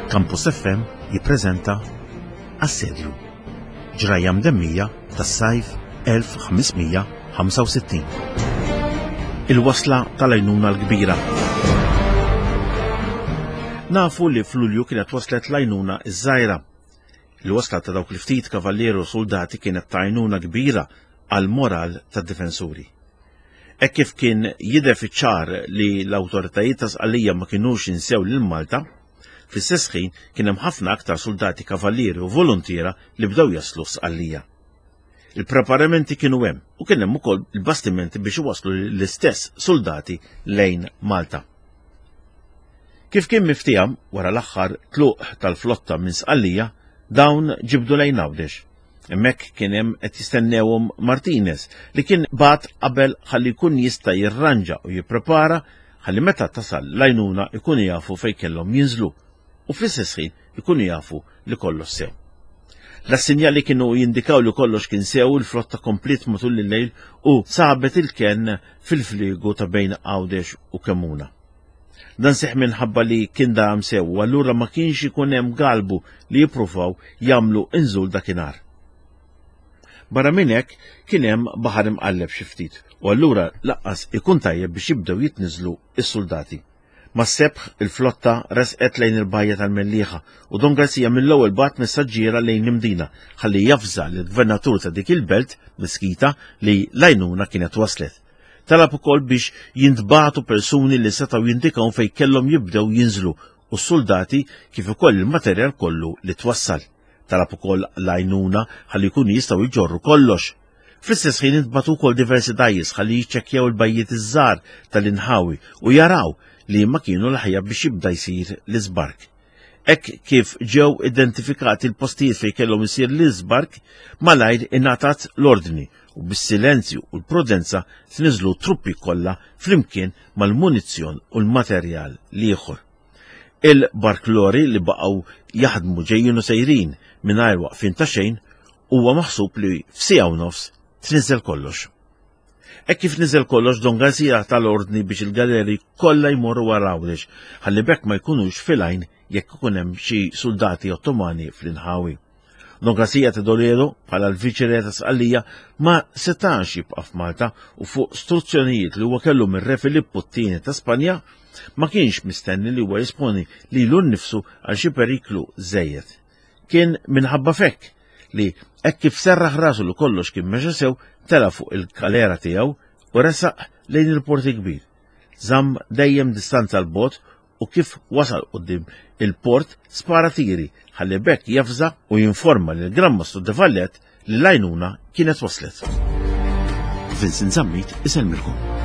Campus FM jippreżenta Assedju. Ġrajja mdemmija tas-sajf 1565. Il-wasla tal-għajnuna l-kbira. Nafu li f'Lulju kienet waslet l-għajnuna iż-żgħira. Il-wasla ta' dawk il-ftit kavallieri u soldati kienet ta' għajnuna kbira għall-moral tad-difensuri. Hekk kif kien jidher fiċ-ċar li l-awtoritajiet ta' Sqallija ma kinux insew lil Malta, fl-istess ħin kien hemm ħafna aktar suldati kavallieri u voluntiera li bdew jaslu f'Sqallija. Il-preparamenti kienu hemm u kien hemm ukoll il-bastimenti biex iwasslu l-istess suldati lejn Malta. Kif kien miftiehem wara l-aħħar tluq tal-flotta minn Sqallija, dawn ġibdu lejn Għawdex. Hemmhekk kien hemm qed jistennewhom Martinez li kien bagħat qabel ħalli jkun jista' jirranġa u jipprepara ħalli meta tasal l-għajnuna jkunu jafu fejn kellhom jinżlu u fl-istess ħin ikunu jafu li kollox sew. La sinjali kienu jindikaw li kollox kien sew il-flotta kompliet matul il-lejl u sabet il-kenn fil-fliegu ta' bejn Għawdex u Kemmuna. Dan seħħ minħabba li kien daram sew u allura ma kienx ikun hemm galbu li jippruvaw jagħmlu inżul dakinhar. Barra minn hekk kien hemm baħar imqalleb xi ftit u allura laqqas ikun tajjeb biex jibdew jitniżlu s-suldati. Mas-sebħ il-flotta resqet lejn il-bajja tal-Mellieħa u Don Garcia mill-ewwel bagħat messaġġiera lejn l-Imdina ħalli javża lill-gvernatur ta' dik il-belt, Mesquita, li l-għajnuna kienet waslet. Talab ukoll biex jintbagħtu persuni li setgħu jindikaw fejn kellhom jibdew jinżlu u s-suldati kif ukoll il-materjal kollu li twassal. Talab ukoll l-għajnuna ħalli jkunu jistgħu jġorru kollox. Fl-istess ħin intbagħtu wkoll diversi dgħajjes ħalli jiċċekkjaw il-bajjiet iż-żgħar tal-inħawi u jaraw li ma kienu l-aħjar biex jibda jsir l-iżbark. Hekk kif ġew identifikati l-postijiet fejn kellhom isir l-iżbark, malajr ingħatat l-ordni u bis-silenzju u l-prudenza tniżlu truppi kollha flimkien mal-munizzjon u l-materjal l-ieħor. Il-barklori li baqgħu jaħdmu ġejjin u sejrin mingħajr waqfien ta' xejn huwa maħsub li f'siegħa u nofs tniżel kollox. Hekk kif niżel kollox Don Garcia ta l-ordni biex il-galeri kollha jmorru wara Għawdex ħalli b'hekk ma jkunux fil-għajn jekk ikun hemm xi suldati Ottomani fl-inħawi. Don Garcia ta' Toledo, bħala l-Viċi-Re ta' Sqallija, ma setax jibqa' f'Malta u fuq struzzjonijiet li huwa kellu mir-Re Filippu t-Tieni ta' Spanja, ma kienx mistenni li huwa jesponi lilu nnifsu għal xi periklu żejjed. Kien minħabba f'hekk li hekk kif serraħ rasu li kollox kien mexa sew, tela' fuq il-kalera tiegħu u resaq lejn il-Port il-Kbir. Żamm dejjem distanza 'l bogħod u kif wasal quddiem il-port spara tiri ħalli b'hekk jafża u jinforma lill-Gran Mastru de Valette li l-għajnuna kienet waslet. Vincent Zammit isellmilkom.